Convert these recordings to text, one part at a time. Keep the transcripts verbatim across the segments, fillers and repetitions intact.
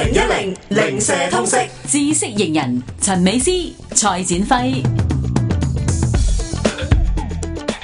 零一零零舍通識知識型人陳美詩、蔡展輝。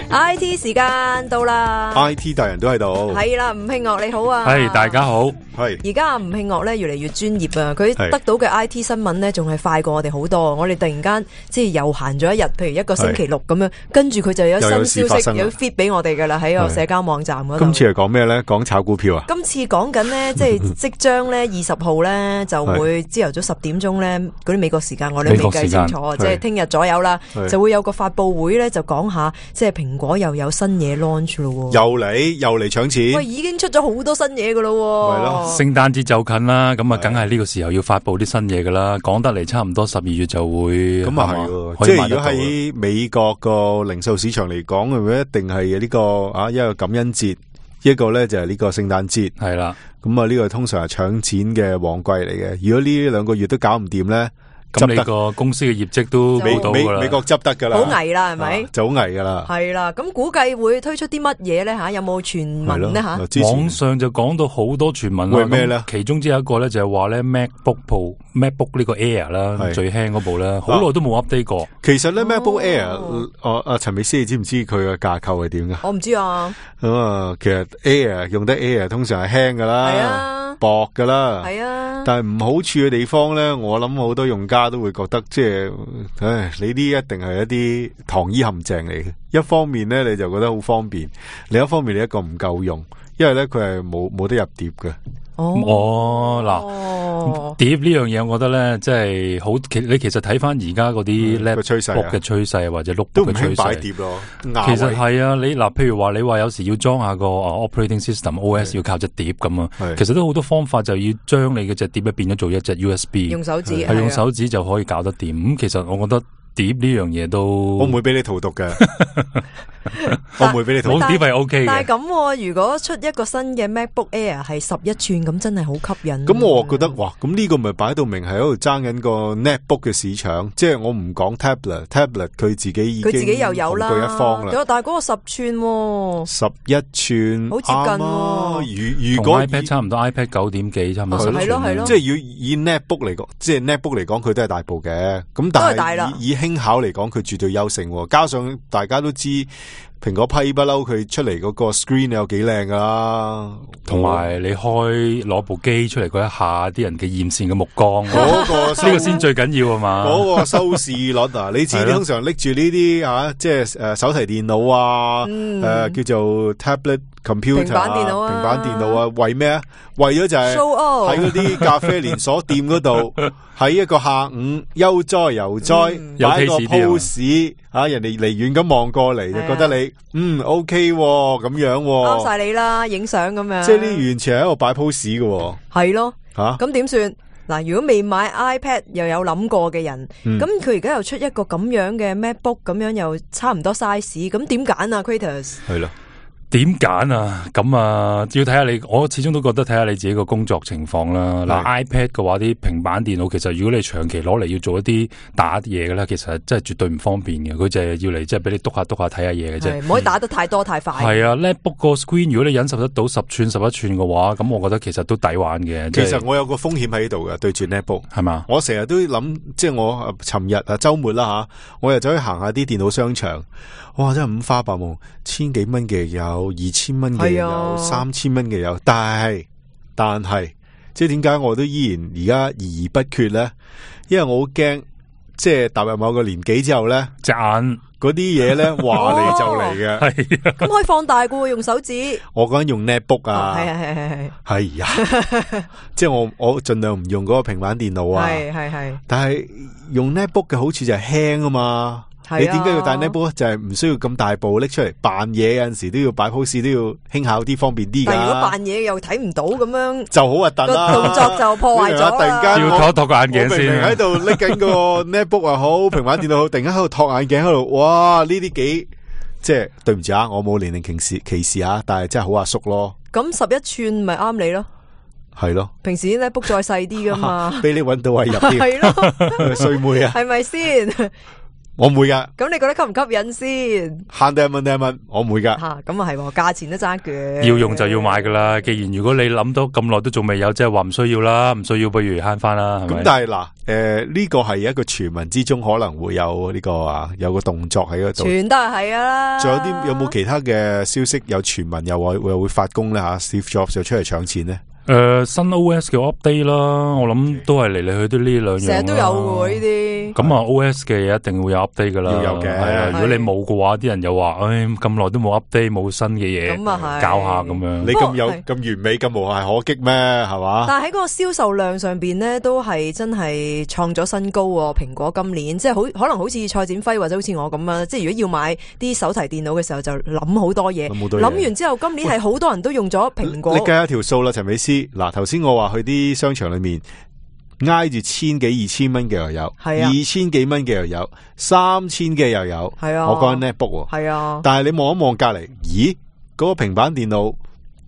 I T 時間到啦 I T 大人都喺度，係啦，吳慶岳你好啊，係大家好。係而家阿吳慶岳咧越嚟越專業啊，佢得到嘅 I T 新聞咧仲係快過我哋好多。我哋突然間即係又閒咗一日，譬如一個星期六咁樣，跟住佢就有新消息有 feed 俾我哋噶啦，喺個社交網站嗰度。今次係講咩咧？講炒股票啊？今次講緊咧，即係即將咧二十號咧就會朝頭早十點鐘咧嗰啲美國時間，我哋未計清楚，即係聽日左右啦，就會有個發佈會咧，就講下即係蘋果又有新嘢 launch 咯，又嚟又嚟搶錢。喂，已經出咗好多新嘢噶咯，係咯。聖誕節就近啦，咁啊，梗係呢個時候要發佈啲新嘢噶啦。講得嚟，差唔多十二月就會咁啊係，即係如果喺美國個零售市場嚟講，係咪一定係呢個啊一個感恩節，一個咧就係呢個聖誕節，係啦。咁啊呢個通常係搶錢嘅旺季嚟嘅。如果呢兩個月都搞唔掂咧，咁你個公司嘅業績都冇到噶啦，美國執得噶啦，好危啦，係咪？就好危噶啦，係啦。咁估計會推出啲乜嘢咧？吓，有冇傳聞咧？吓，網上就講到好多傳聞啦。咩咧？其中之一個咧就係話咧 MacBook Pro、MacBook 呢個 Air 啦，最輕嗰部啦，好耐都冇 update 過。其實咧 MacBook Air，我阿陳美詩，你知唔知佢嘅架構係點噶？我唔知啊。咁啊，其實 Air 用得 Air 通常係輕噶啦，係啊，薄噶啦，係啊。但係唔好處嘅地方咧，我諗好多用家都會覺得，即係，唉，你啲一定係一啲糖衣陷阱嚟嘅。一方面咧，你就覺得好方便；另一方面，你一個唔夠用，因為咧佢係冇冇得入碟嘅。哦，嗱，碟呢樣嘢，我覺得咧，即係好。其你其實睇翻而家嗰啲 laptop 嘅趨勢或者 notebook 都唔嘅趨勢，擺碟咯。其實係啊，你嗱，譬如話你話有時要裝下個 operating system O S 要靠隻碟咁啊，其實都好多方法就要將你嘅隻碟咧變咗做一隻 U S B，用手指係用手指就可以搞得掂。咁其實我覺得碟呢樣嘢都，我唔會俾你荼毒嘅。我唔會俾你荼毒，碟係 O K 嘅。但係咁，如果出一個新嘅 MacBook Air 係十一寸，咁真係好吸引。咁我覺得哇，咁呢個咪擺到明係喺度爭緊個 netbook 嘅市場。即係我唔講 tablet，tablet 佢自己已經佢自己又有啦，紅過一方啦。但係嗰個十寸，十一寸，好接近。如如果 iPad 差唔多 iPad 九點幾，差唔多十寸。係咯係咯。即係要以 netbook 嚟講，即係 netbook 嚟講，佢都係大部嘅。咁但係以以輕巧嚟講，佢絕對優勝。加上大家都知。蘋果批不嬲，佢出嚟嗰個 screen 有幾靚噶啦，同埋你開攞部機出嚟嗰一下，啲人嘅艷羨嘅目光，嗰個呢個先最緊要啊嘛。嗰個收視率啊，你知通常拎住呢啲啊，即係誒手提電腦啊，誒叫做 tablet computer 平板電腦啊，平板電腦啊，為咩啊？為咗就係喺嗰啲咖啡連鎖店嗰度，喺一個下午悠哉悠哉擺個 pose 啊，人哋離遠咁望過嚟就覺得你嗯 OK 咁樣，啱晒你啦，影相咁樣。即係呢完全係喺度擺 pose 嘅，係咯吓咁點算？嗱，如果未買 iPad 又有諗過嘅人，咁佢而家又出一個咁樣嘅 MacBook，咁樣又差唔多 size，咁點揀啊 Kratos？ 係咯。點揀啊？咁啊，要睇下你。我始終都覺得睇下你自己個工作情況啦。嗱，iPad 嘅話，啲平板電腦其實如果你長期攞嚟要做一啲打嘢嘅咧，其實真係絕對唔方便嘅。佢就係要嚟即係俾你篤下篤下睇下嘢嘅啫，唔可以打得太多太快。係啊 ，MacBook 個 screen 如果你忍受得到十寸十一寸嘅話，咁我覺得其實都抵玩嘅。其實我有個風險喺度嘅，對住 MacBook 係嘛？我成日都諗，即係我尋日啊週末啦吓，我又走去行下啲電腦商場，哇！真係五花八門，千幾蚊嘅有，二千蚊嘅有，三千蚊嘅有，但係但係，即係點解我都依然而家豫豫不決咧？因為我好驚，即係踏入某個年紀之後咧，隻眼嗰啲嘢咧話嚟就嚟嘅，係咁可以放大嘅，用手指。我講緊用 netbook 啊，係係係係係啊，即係我我盡量唔用嗰個平板電腦啊，係係係，但係用 netbook 嘅好處就係輕啊嘛。你點解要帶 netbook？就係唔需要咁大部拎出嚟扮嘢，有陣時都要擺 pose，都要輕巧啲，方便啲噶。但如果扮嘢又睇唔到咁樣，就好核突啦。個動作就破壞咗。突然間要托一托個眼鏡先。我明明喺度拎緊個 netbook 又好，平板電腦好，突然間喺度托眼鏡喺度，哇！呢啲幾即係對唔住啊，我冇年齡歧視歧視啊，但係真係好阿叔咯。咁十一寸咪啱你咯。係咯，平時 netbook 再細啲噶嘛，俾你搵到位入啲，係咯，衰妹啊，係咪先？我唔會噶。咁你覺得吸唔吸引先？慳得一蚊得一蚊，我唔會噶。吓，咁啊係，價錢都爭嘅。要用就要買噶啦。既然如果你諗到咁耐都仲未有，即係話唔需要啦，唔需要不如慳翻啦。咁但係嗱，誒呢個係一個傳聞之中可能會有呢個啊，有個動作喺嗰度。全都係係啦。仲有啲有冇其他嘅消息有傳聞又話又會發功咧吓 ？Steve Jobs 就出嚟搶錢咧？誒、呃，新 O S 嘅 update 啦，我諗都係嚟嚟去都呢兩樣，成日都有嘅呢啲。咁啊 O S 嘅嘢一定會有 update 噶啦，要有嘅。係啊，如果你冇嘅話，啲人又話，唉，咁耐都冇 update，冇新嘅嘢，咁啊係搞下咁樣。你咁有咁完美咁無懈可擊咩？係嘛？但係喺嗰個銷售量上邊呢，都係真係創咗新高喎。蘋果今年即係好可能好似蔡展輝或者好似我咁啊，即係如果要買啲手提電腦嘅時候，就諗好多嘢。諗完之後，今年係好多人都用咗蘋果。你計下條數啦，陳美思。嗱，頭先我話去啲商場裏面挨住千幾二千蚊嘅又有，係啊，二千幾蚊嘅又有，三千嘅又有，係啊。我講緊 netbook，係啊。但係你望一望隔籬，咦，嗰、嗰個平板電腦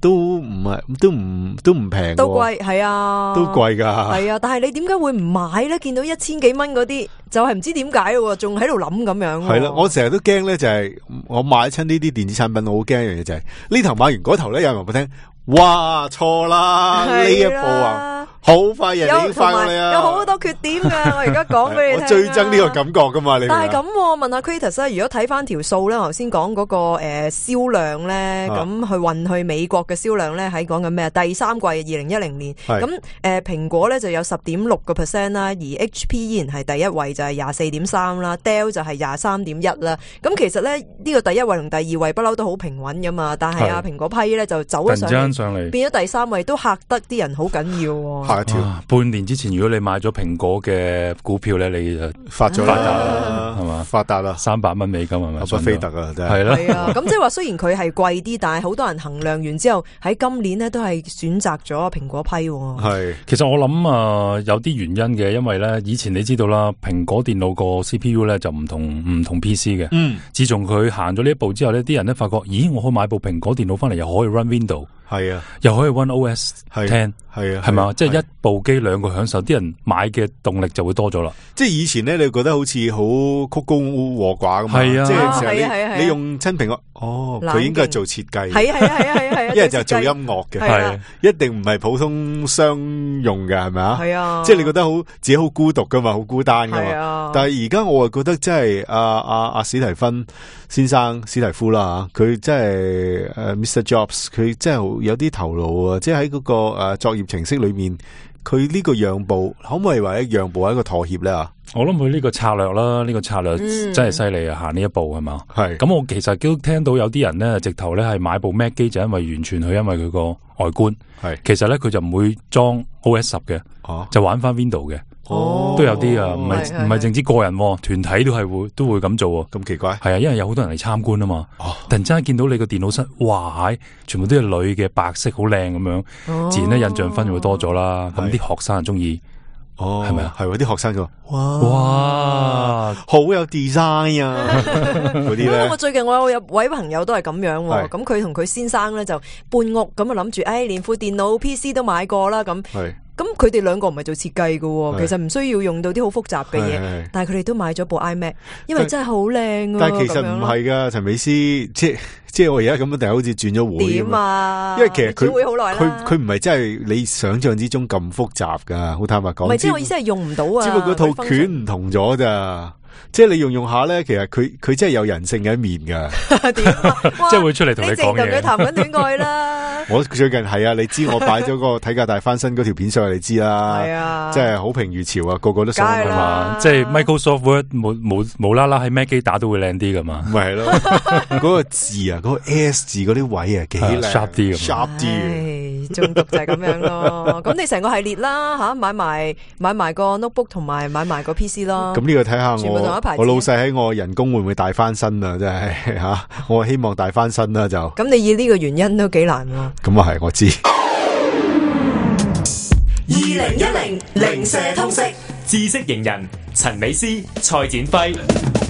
都唔係，都唔都唔平，都貴，係啊，都貴噶，係啊。但係你點解會唔買咧？見到一千幾蚊嗰啲，就係、是、唔知點解喎，仲喺度諗咁樣。係啦，我成日都驚咧，就係我買親呢啲電子產品，我好驚一樣嘢就係、是、呢頭買完嗰頭咧，有人話俾我聽。哇，錯啦！呢一步啊，好快人哋已經快過你啊！有好多缺點噶，我而家講俾你聽。我最憎呢個感覺噶嘛，你。但係咁，問下 Kratos 咧，如果睇翻條數咧，頭先講嗰個誒銷量咧，咁、啊、去運去美國嘅銷量咧，喺講緊咩啊？第三季二零一零年，咁誒蘋果咧就有十點六個 percent 啦，而 H P 依然係第一位，就係廿四點三啦 ，Dell 就係廿三點一啦。咁其實咧呢、呢個第一位同第二位不嬲都好平穩噶嘛，但係啊蘋果批咧就走咗上嚟。上嚟變咗第三位，都嚇得啲人好緊要。嚇一跳！半年之前，如果你買咗蘋果嘅股票咧，你就發咗啦，係嘛？發達啦，三百蚊美金係咪？巴菲特啊，真係係啦。係啊，咁即係話雖然佢係貴啲，但係好多人衡量完之後，喺今年咧都係選擇咗蘋果批。係，其實我諗啊，有啲原因嘅，因為咧以前你知道啦，蘋果電腦個 C P U 咧就唔同唔同 P C 嘅。嗯。自從佢行咗呢一步之後咧，啲人咧發覺，咦，我可以買部蘋果電腦翻嚟，又可以 run Windows。係啊，又可以 One O S Ten， 係啊，係嘛，即係一部機兩個享受，啲人買嘅動力就會多咗啦。即係以前咧，你覺得好似好曲高和寡咁嘛？係啊，即係成日你、啊啊啊、你用親蘋果，哦，佢應該係做設計，係啊係啊係啊係啊，一係就係做音樂嘅，係、啊、一定唔係普通商用嘅，係咪啊？係啊，即係你覺得好自己好孤獨噶嘛，好孤單噶嘛。啊、但係而家我啊覺得真係阿阿阿史提芬先生史提夫啦吓，佢真係誒 Mister Jobs， 佢真係有啲頭腦啊！即係喺嗰個誒、呃、作業程式裏面，佢呢個讓步可唔可以話一讓步係一個妥協咧啊？我諗佢呢個策略啦，呢、呢個策略真係犀利啊！行呢一步係嘛？係咁，我其實都聽到有啲人咧，直頭咧係買部 Mac 機就因為完全佢因為佢個外觀係，其實咧佢就唔會裝 O S 十嘅，就玩翻 Windows 嘅。哦，都有啲啊，唔係唔係淨止個人，團體都係會都會咁做。咁奇怪？係啊，因為有好多人嚟參觀啊嘛。哦，突然之間見到你個電腦室，哇，全部都係女嘅，白色好靚咁樣，哦、自然咧印象分就會多咗啦。咁啲學生就中意，哦，係咪啊？係喎，啲學生就話，哇，哇，好有 design 啊！嗰啲咧，我最近我有位朋友都係咁樣，咁佢同佢先生咧就搬屋，咁啊諗住，誒，連副電腦 P C 都買過啦，咁。咁佢哋兩個唔係做設計嘅，其實唔需要用到啲好複雜嘅嘢，但係佢哋都買咗部 iMac， 因為真係好靚啊！但係其實唔係噶，陳美思，即係即係我而家咁樣，定係好似轉咗會點啊？因為其實佢佢佢唔係真係你想象之中咁複雜噶，好坦白講。唔係，即係我意思係用唔到啊！只不過套卷唔同咗咋。即係你用用下咧，其實佢佢真係有人性嘅一面噶，點啊？即係會出嚟同你講嘢。你淨同佢談緊戀愛啦。我最近係啊，你知我擺咗個體格大翻身嗰條片上去，你知啦。係啊，即係好評如潮啊，個個都想係嘛。即係 Microsoft Word 冇冇無啦啦喺 Mac 機打都會靚啲噶嘛。咪係咯，嗰個字啊，嗰個 S 字嗰啲位啊，幾靚 sharp 啲咁。sharp 啲，中毒就係咁樣咯。咁你成個系列啦吓，買埋買埋個 notebook 同埋買埋個 P C 咯。咁呢個睇下我。我老細喺我人工會唔會大翻身啊？真係吓、啊，我希望大翻身啦就。咁你以呢個原因都幾難喎。咁啊係，我知。二零一零零舍通識知識型人陳美思、蔡展輝。